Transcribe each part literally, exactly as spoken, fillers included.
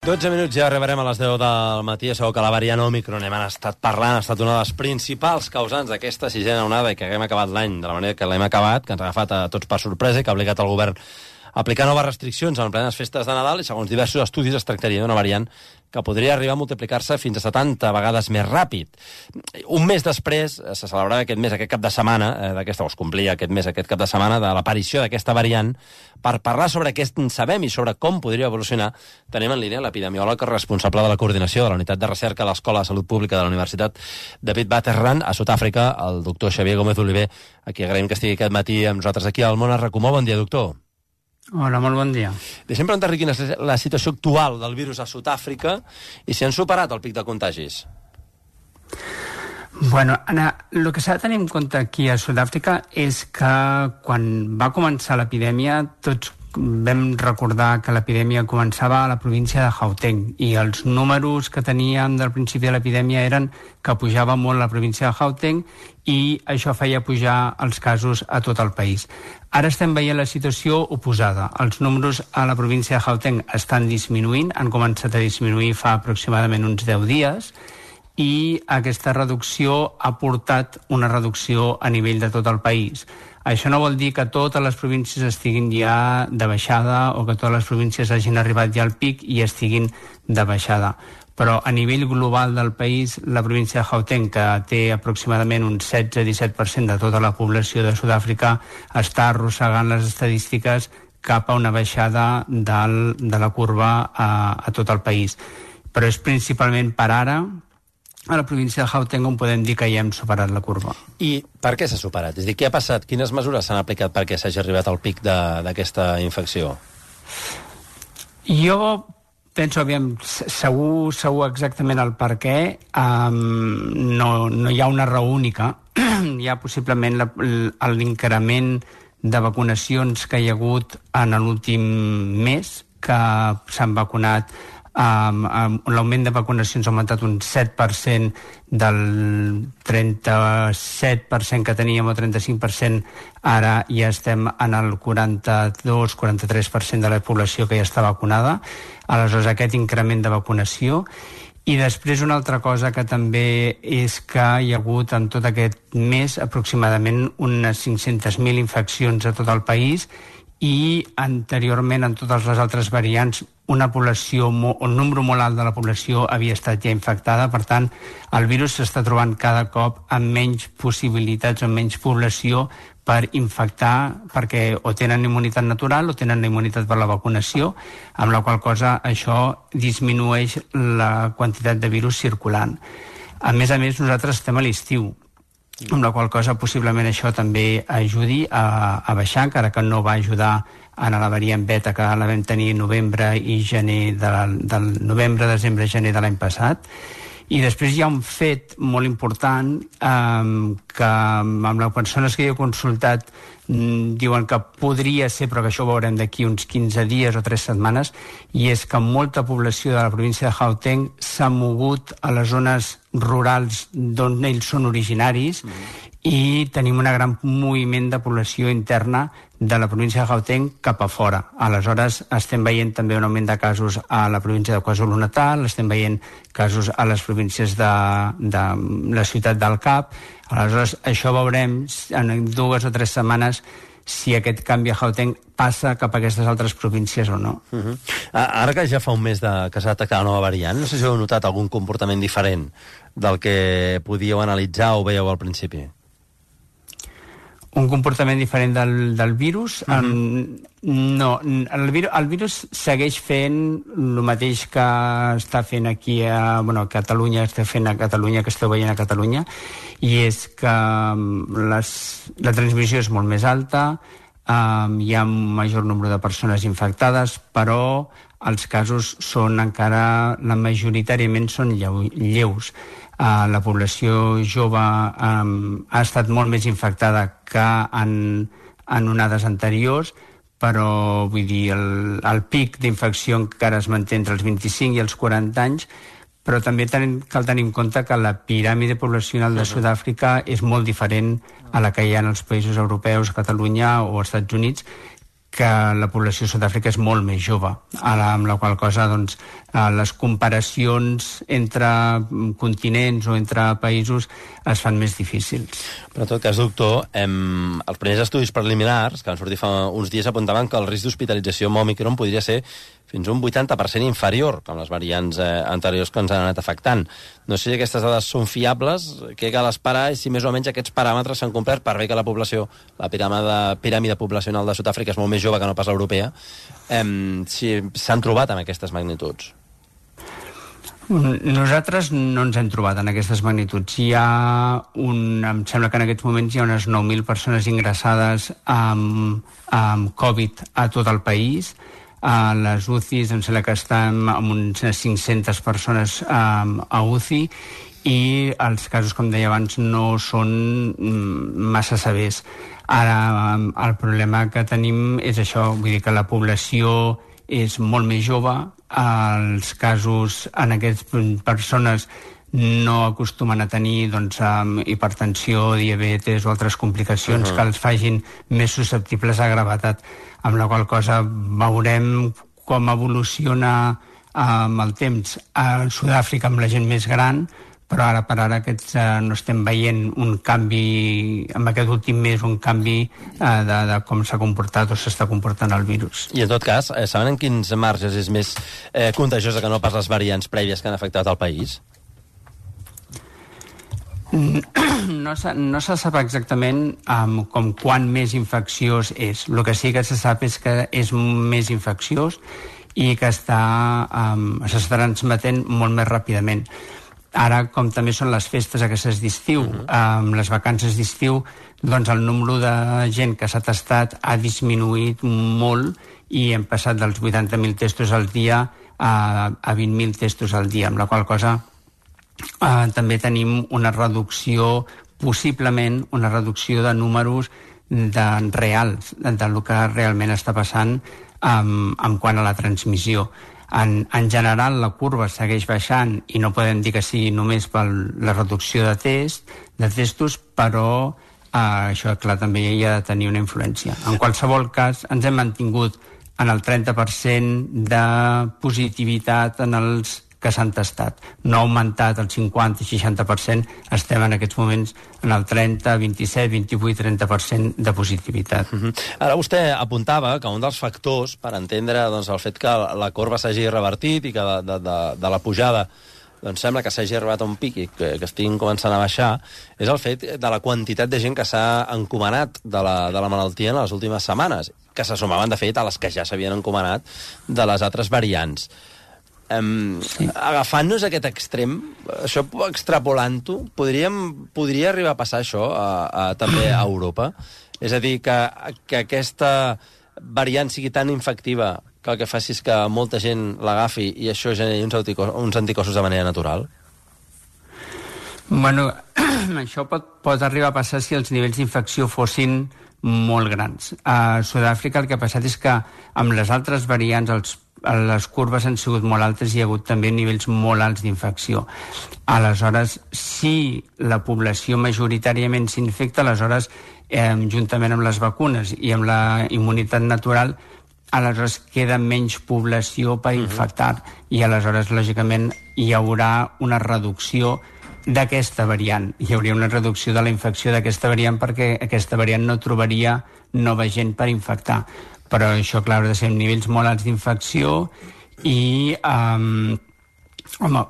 dotze minuts, ja arribarem a les deu del matí. Segur que la variant Òmicron hem estat parlant, ha estat una de les principals causants d'aquesta sisena onada i que haguem acabat l'any de la manera que l'hem acabat, que ens ha agafat a tots per sorpresa i que ha obligat el govern a aplicar noves restriccions en plenes festes de Nadal i, segons diversos estudis, es tractaria d'una variant que podria arribar a multiplicar-se fins a setanta vegades més ràpid. Un mes després se celebrava aquest mes, aquest cap de setmana, eh, d'aquesta, o es complia aquest mes, aquest cap de setmana, de l'aparició d'aquesta variant. Per parlar sobre què en sabem i sobre com podria evolucionar, tenim en línia l'epidemiòleg responsable de la coordinació de la Unitat de Recerca a l'Escola de Salut Pública de la Universitat David Waterrand a Sud-àfrica, el doctor Xavier Gómez Oliver, a qui agraïm que estigui aquest matí amb nosaltres aquí al Món RACU. Bon dia, doctor. Hola, molt bon dia. Deixem preguntar-li quina és la situació actual del virus a Sud-àfrica i si han superat el pic de contagis. Bueno, Anna, el que s'ha de tenir en compte aquí a Sud-àfrica és que quan va començar l'epidèmia tots vam recordar que l'epidèmia començava a la província de Gauteng i els números que teníem del principi de l'epidèmia eren que pujava molt la província de Gauteng i això feia pujar els casos a tot el país. Ara estem veient la situació oposada. Els números a la província de Gauteng estan disminuint, han començat a disminuir fa aproximadament uns deu dies i aquesta reducció ha portat una reducció a nivell de tot el país. Això no vol dir que totes les províncies estiguin ja de baixada o que totes les províncies hagin arribat ja al pic i estiguin de baixada. Però a nivell global del país, la província de Gauteng, que té aproximadament un setze a disset per cent de tota la població de Sud-àfrica, està arrossegant les estadístiques cap a una baixada del, de la curva a, a tot el país. Però és principalment per ara a la província de Gauteng on podem dir que ja hem superat la curva. I per què s'ha superat? És a dir, què ha passat? Quines mesures s'han aplicat perquè s'hagi arribat al pic d'aquesta infecció? Jo penso, aviam, segur, segur exactament el per què. Um, no, no hi ha una raó única. Hi ha possiblement l'increment de vacunacions que hi ha hagut en l'últim mes, que s'han vacunat. Um, um, l'augment de vacunacions ha augmentat un set per cent del trenta-set per cent que teníem o trenta-cinc per cent, ara ja estem en el quaranta-dos a quaranta-tres per cent de la població que ja està vacunada. Aleshores, aquest increment de vacunació. I després una altra cosa que també és que hi ha hagut en tot aquest mes aproximadament unes cinc-centes mil infeccions a tot el país i anteriorment en totes les altres variants una població, un número molt alt de la població havia estat ja infectada, per tant el virus s'està trobant cada cop amb menys possibilitats o amb menys població per infectar, perquè o tenen immunitat natural o tenen la immunitat per la vacunació, amb la qual cosa això disminueix la quantitat de virus circulant. A més a més, nosaltres estem a l'estiu, amb la qual cosa possiblement això també ajudi a, a baixar, encara que no va ajudar en la variant beta que la vam tenir novembre i gener de la, del novembre, desembre, gener de l'any passat. I després hi ha un fet molt important eh, que amb les persones que jo he consultat mm, diuen que podria ser, però que això ho veurem d'aquí uns quinze dies o tres setmanes, i és que molta població de la província de Gauteng s'ha mogut a les zones rurals d'on ells són originaris mm. i tenim un gran moviment de població interna de la província de Gauteng cap a fora. Aleshores, estem veient també un augment de casos a la província de KwaZulu-Natal, estem veient casos a les províncies de, de la ciutat del Cap. Aleshores, això veurem en dues o tres setmanes si aquest canvi a Gauteng passa cap a aquestes altres províncies o no. Uh-huh. Ara que ja fa un mes de, que s'ha detectat la nova variant, no sé si heu notat algun comportament diferent del que podíeu analitzar o veieu al principi. Un comportament diferent del, del virus? Uh-huh. um, no, el, vir, el virus segueix fent el mateix que està fent aquí a, bueno, a Catalunya, està fent a Catalunya, que esteu veient a Catalunya, i és que les, la transmissió és molt més alta, um, hi ha un major nombre de persones infectades, però els casos són encara, la majoritàriament són lleu, lleus. Uh, la població jove um, ha estat molt més infectada que en, en onades anteriors, però vull dir, el, el pic d'infecció encara es manté entre els vint-i-cinc i els quaranta anys, però també ten, cal tenir en compte que la piràmide poblacional de Sud-àfrica és molt diferent a la que hi ha en els països europeus, Catalunya o Estats Units, que la població de Sud-àfrica és molt més jove, amb la qual cosa doncs, les comparacions entre continents o entre països es fan més difícils. Però en tot cas, doctor, hem... els primers estudis preliminars que van sortir fa uns dies apuntaven que el risc d'hospitalització amb Omicron podria ser fins a un vuitanta per cent inferior que amb les variants eh, anteriors que ens han anat afectant. No sé si aquestes dades són fiables, què cal esperar i si més o menys aquests paràmetres s'han complert per bé que la població, la piràmide, piràmide poblacional de Sud-àfrica és molt més jove que no pas l'europea, eh, si s'han trobat amb aquestes magnituds. Nosaltres no ens hem trobat en aquestes magnituds. Hi ha un, em sembla que en aquests moments hi ha unes nou mil persones ingressades amb, amb Covid a tot el país. A les U C Is em sembla que estem amb unes cinc-centes persones um, a U C I i els casos, com deia abans, no són massa severs. Ara, el problema que tenim és això, vull dir que la població és molt més jove, els casos en aquestes persones no acostumen a tenir doncs, um, hipertensió, diabetes o altres complicacions uh-huh. que els facin més susceptibles a gravetat, amb la qual cosa veurem com evoluciona amb el temps a Sud-àfrica amb la gent més gran, però ara per ara aquests, eh, no estem veient un canvi, en aquest últim mes, un canvi eh, de, de com s'ha comportat o s'està comportant el virus. I en tot cas, eh, saben en quins marges és més eh, contagiosa que no pas les variants prèvies que han afectat el país? No se, no se sap exactament um, com quan més infecciós és. El que sí que se sap és que és més infecciós i que està, um, s'està transmetent molt més ràpidament. Ara, com també són les festes aquestes d'estiu, uh-huh. um, les vacances d'estiu, doncs el número de gent que s'ha testat ha disminuït molt i hem passat dels vuitanta mil testos al dia a, a vint mil testos al dia, amb la qual cosa Uh, també tenim una reducció, possiblement una reducció de números de reals, de, del que realment està passant um, en quant a la transmissió. En, en general la curva segueix baixant i no podem dir que sigui només per la reducció de test, de testos, però uh, això clar també hi ha de tenir una influència. En qualsevol cas ens hem mantingut en el trenta per cent de positivitat en els que s'han tastat. No ha augmentat el cinquanta i seixanta per cent, estem en aquests moments en el trenta, vint-i-set, vint-i-vuit, trenta per cent de positivitat. Uh-huh. Ara vostè apuntava que un dels factors per entendre doncs, el fet que la corba s'hagi revertit i que de, de, de, de la pujada doncs sembla que s'hagi arribat a un pic i que, que estiguin començant a baixar, és el fet de la quantitat de gent que s'ha encomanat de la, de la malaltia en les últimes setmanes, que se sumaven, de fet, a les que ja s'havien encomanat de les altres variants. Um, sí. Agafant-nos aquest extrem, això extrapolant-ho, podríem, podria arribar a passar això a, a, també a Europa? És a dir, que, que aquesta variant sigui tan infectiva que el que faci és que molta gent l'agafi i això generi uns, anticossos, uns anticossos de manera natural? Bueno, això pot, pot arribar a passar si els nivells d'infecció fossin molt grans. A Sud-àfrica el que ha passat és que amb les altres variants els les curves han sigut molt altes i hi ha hagut també nivells molt alts d'infecció. Aleshores, si la població majoritàriament s'infecta, aleshores, eh, juntament amb les vacunes i amb la immunitat natural, aleshores queda menys població per infectar i aleshores, lògicament, hi haurà una reducció d'aquesta variant. Hi hauria una reducció de la infecció d'aquesta variant perquè aquesta variant no trobaria nova gent per infectar. Però això, clar, ha de ser amb nivells molt alts d'infecció i, um, home,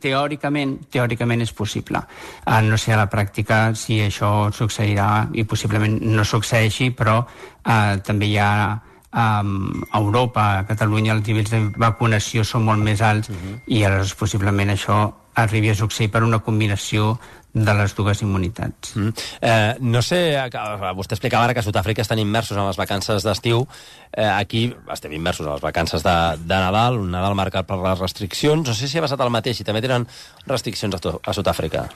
teòricament, teòricament és possible. Uh, no sé a la pràctica si això succeirà i possiblement no succeeixi, però uh, també hi ha um, a Europa, a Catalunya, els nivells de vacunació són molt més alts uh-huh. i aleshores possiblement això arribi a succeir per una combinació de les dues immunitats. Mm. Eh, no sé, vostè explicava ara que a Sud-àfrica estan immersos en les vacances d'estiu. Eh, aquí estem immersos en les vacances de, de Nadal, un Nadal marcat per les restriccions. No sé si ha passat el mateix, si també tenen restriccions a, a Sud-àfrica.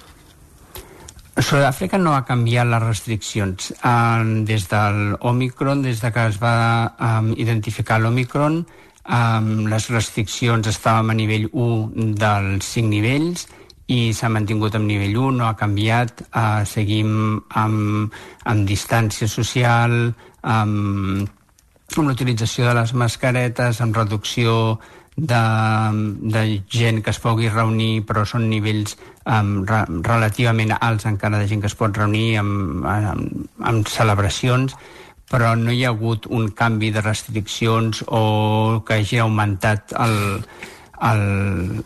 Sud-àfrica no ha canviat les restriccions. Eh, des de l'Omicron, des de que es va eh, identificar l'Omicron, eh, les restriccions estàvem a nivell u dels cinc nivells, i s'ha mantingut en nivell u, no ha canviat, eh, seguim amb, amb distància social, amb, amb l'utilització de les mascaretes, amb reducció de, de gent que es pugui reunir, però són nivells um, re, relativament alts encara de gent que es pot reunir amb, amb, amb celebracions, però no hi ha hagut un canvi de restriccions o que hagi augmentat el, el,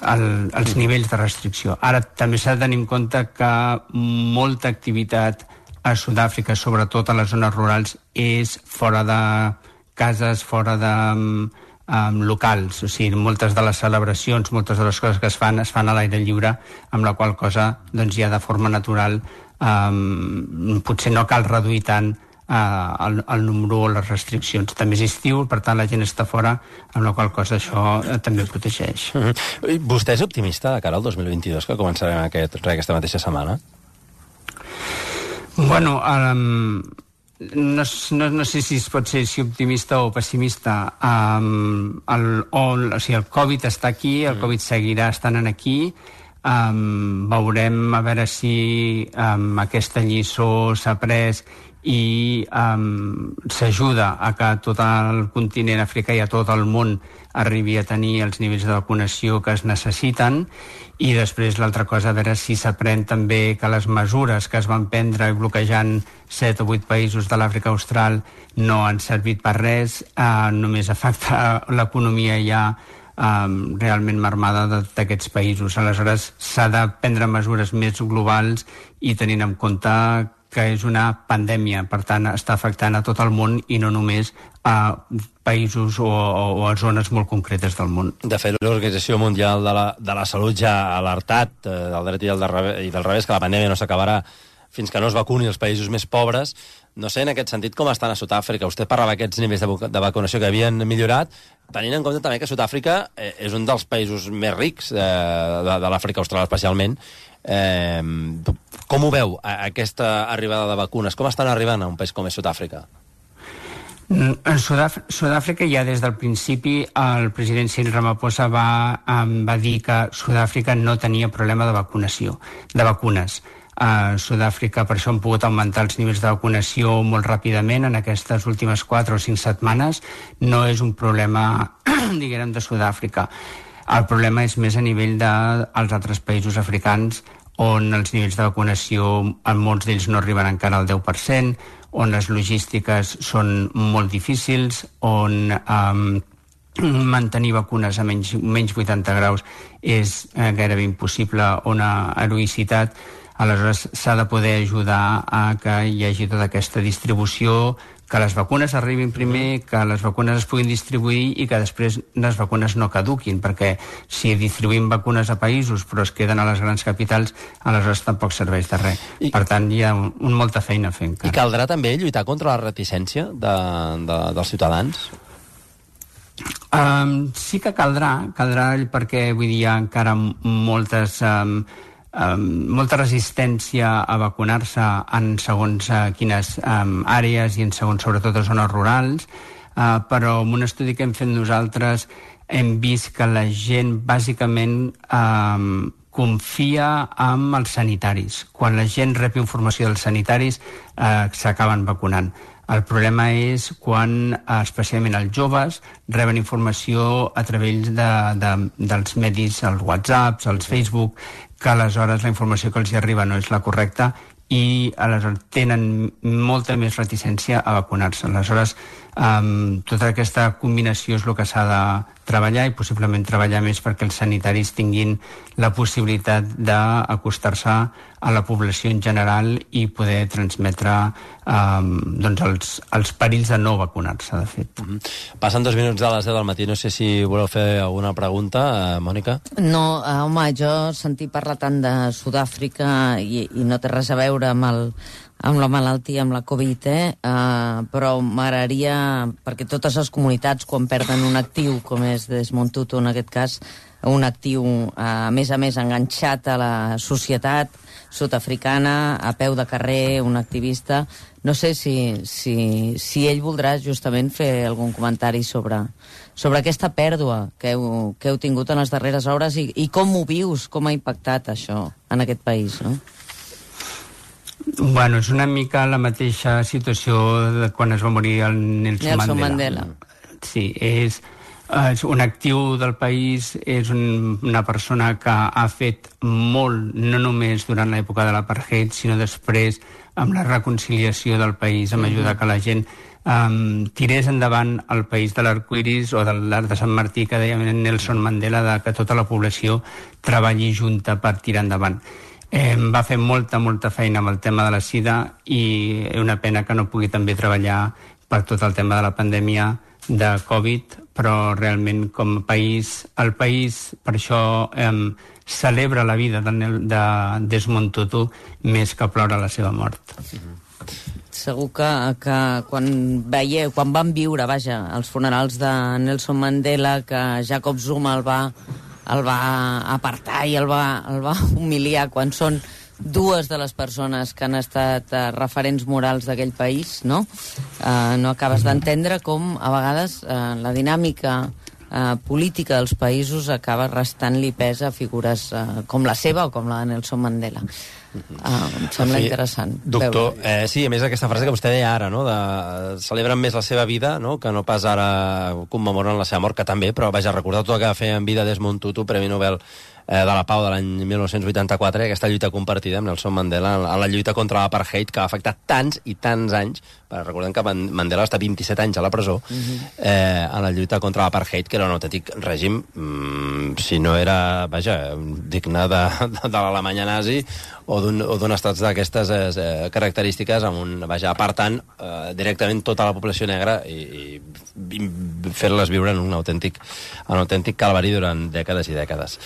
el, els nivells de restricció. Ara també s'ha de tenir en compte que molta activitat a Sud-àfrica, sobretot a les zones rurals, és fora de cases, fora de um, locals. O sigui, moltes de les celebracions, moltes de les coses que es fan, es fan a l'aire lliure, amb la qual cosa doncs, ja de forma natural um, potser no cal reduir tant Uh, el, el número o les restriccions. També és estiu, per tant la gent està fora, amb la qual cosa això uh, també protegeix. Mm-hmm. Vostè és optimista de cara al dos mil vint-i-dos, que començarem aquest, aquesta mateixa setmana? Bueno, um, no, no, no sé si es pot ser si optimista o pessimista. Um, el, o, o sigui, el Covid està aquí, el Covid seguirà estant aquí. Um, veurem a veure si um, aquesta lliçó s'ha pres i um, s'ajuda a que tot el continent africà i a tot el món arribi a tenir els nivells de vacunació que es necessiten, i després l'altra cosa, a veure si s'aprèn també que les mesures que es van prendre bloquejant set o vuit països de l'Àfrica Austral no han servit per res, uh, només afecta l'economia ja um, realment marmada d'aquests països. Aleshores s'ha de prendre mesures més globals i tenint en compte que és una pandèmia, per tant està afectant a tot el món i no només a països o, o, o a zones molt concretes del món. De fet, l'Organització Mundial de la, de la Salut ja ha alertat eh, del dret i del, revés, i del revés que la pandèmia no s'acabarà fins que no es vacuni els països més pobres. No sé, en aquest sentit, com estan a Sud-àfrica? Vostè parlava d'aquests nivells de, de vacunació que havien millorat, tenint en compte també que Sud-àfrica eh, és un dels països més rics eh, de, de l'Àfrica Austral especialment. Eh, com ho veu, aquesta arribada de vacunes? Com estan arribant a un país com és Sud-àfrica? En Sud-àfrica ja des del principi el president Cyril Ramaphosa va, um, va dir que Sud-àfrica no tenia problema de vacunació, de vacunes. A Sud-àfrica per això han pogut augmentar els nivells de vacunació molt ràpidament en aquestes últimes quatre o cinc setmanes. No és un problema, diguem, de Sud-àfrica. El problema és més a nivell dels altres països africans, on els nivells de vacunació en molts d'ells no arriben encara al deu per cent, on les logístiques són molt difícils, on um, mantenir vacunes a menys, menys vuitanta graus és eh, gairebé impossible, una heroïcitat. Aleshores s'ha de poder ajudar a que hi hagi tota aquesta distribució, que les vacunes arribin primer, que les vacunes es puguin distribuir i que després les vacunes no caduquin, perquè si distribuïm vacunes a països però es queden a les grans capitals, aleshores tampoc serveix de res. I, per tant, hi ha un, un molta feina a fer encara. I caldrà també lluitar contra la reticència de, de, dels ciutadans? Um, sí que caldrà, caldrà perquè vull dir, hi ha encara moltes... Um, Um, molta resistència a vacunar-se en segons uh, quines um, àrees i en segons sobretot a zones rurals, uh, però en un estudi que hem fet nosaltres hem vist que la gent bàsicament um, confia en els sanitaris. Quan la gent rep informació dels sanitaris uh, s'acaben vacunant. El problema és quan, especialment els joves, reben informació a través de, de, dels medis, els WhatsApps, els Facebook, que aleshores la informació que els hi arriba no és la correcta i aleshores tenen molta més reticència a vacunar-se. Aleshores, um, tota aquesta combinació és el que s'ha de treballar i possiblement treballar més perquè els sanitaris tinguin la possibilitat d'acostar-se a la població en general i poder transmetre um, doncs els, els perills de no vacunar-se, de fet. Mm-hmm. Passen dos minuts de les deu del matí. No sé si voleu fer alguna pregunta, eh, Mònica? No, eh, home, jo sentir parlar tant de Sud-àfrica i, i no té res a veure amb el amb la malaltia, amb la Covid, eh? Uh, però m'agradaria, perquè totes les comunitats, quan perden un actiu, com és Desmond Tutu en aquest cas, un actiu, uh, a més a més, enganxat a la societat sud-africana, a peu de carrer, un activista, no sé si, si, si ell voldrà justament fer algun comentari sobre, sobre aquesta pèrdua que heu, que heu tingut en les darreres hores i, i com ho vius, com ha impactat això en aquest país, no? Bueno, és una mica la mateixa situació de quan es va morir el Nelson, Nelson Mandela. Mandela. Sí, és, és un actiu del país, és un, una persona que ha fet molt, no només durant l'època de l'apartheid, sinó després amb la reconciliació del país, amb ajudar que la gent um, tirés endavant el país de l'arcoiris o de l'Arc de Sant Martí, que deia Nelson Mandela, de que tota la població treballi junta per tirar endavant. Eh, va fer molta, molta feina amb el tema de la sida i és una pena que no pugui també treballar per tot el tema de la pandèmia de Covid, però realment com a país, el país per això eh, celebra la vida de, de Desmond Tutu més que plora la seva mort. Segur que, que quan veieu, quan van viure, vaja, els funerals de Nelson Mandela, que Jacob Zuma el va, el va apartar i el va, el va humiliar quan són dues de les persones que han estat uh, referents morals d'aquell país, no? Uh, no acabes d'entendre com, a vegades, uh, la dinàmica uh, política dels països acaba restant-li pes a figures uh, com la seva o com la de Nelson Mandela. Uh, em sembla sí, interessant. Doctor, eh, sí, a més aquesta frase que vostè deia ara, no? De, celebren més la seva vida, no? Que no pas ara commemoren la seva mort, que també, però vaja, recordar tot el que va fer en vida Desmond Tutu, Premi Nobel eh, de la Pau de l'any mil nou-cents vuitanta-quatre, aquesta lluita compartida amb Nelson Mandela en la lluita contra l'apartheid, que va afectar tants i tants anys. Recordem que Mandela va estar vint-i-set anys a la presó uh-huh. eh, en la lluita contra l'apartheid, que era un autèntic règim, mm, si no era, vaja, digne de, de, de l'Alemanya nazi o d'un estat d'aquestes eh, característiques, amb un, vaja, apartant eh, directament tota la població negra i, i fer-les viure en un autèntic, un autèntic calvari durant dècades i dècades.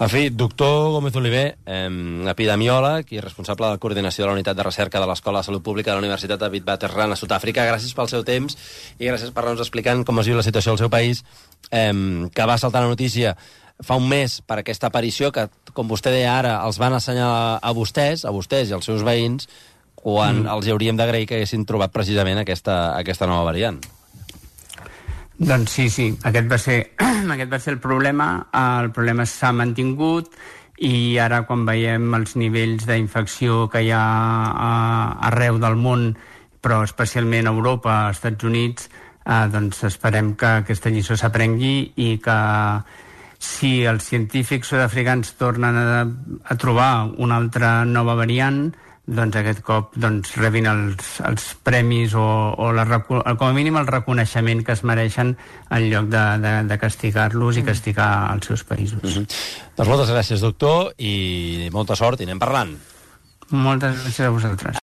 En fi, doctor Gómez Oliver, eh, epidemiòleg i responsable de la coordinació de la unitat de recerca de l'Escola de Salut Pública de la Universitat de Witwatersrand a Sud-àfrica, gràcies pel seu temps i gràcies per anar-nos explicant com es viu la situació al seu país, eh, que va saltar la notícia fa un mes per aquesta aparició que, com vostè deia ara, els van assenyalar a vostès, a vostès i als seus veïns, quan mm. els hi hauríem d'agrair que haguessin trobat precisament aquesta, aquesta nova variant. Doncs sí, sí, aquest va ser, aquest va ser el problema, el problema s'ha mantingut i ara quan veiem els nivells d'infecció que hi ha arreu del món, però especialment a Europa, als Estats Units, eh, doncs esperem que aquesta lliçó s'aprengui i que si els científics sud-africans tornen a, a trobar una altra nova variant, doncs aquest cop doncs, rebin els, els premis o, o la, com a mínim el reconeixement que es mereixen en lloc de, de, de castigar-los i castigar els seus països. Mm-hmm. Doncs moltes gràcies, doctor, i molta sort, i anem parlant. Moltes gràcies a vosaltres.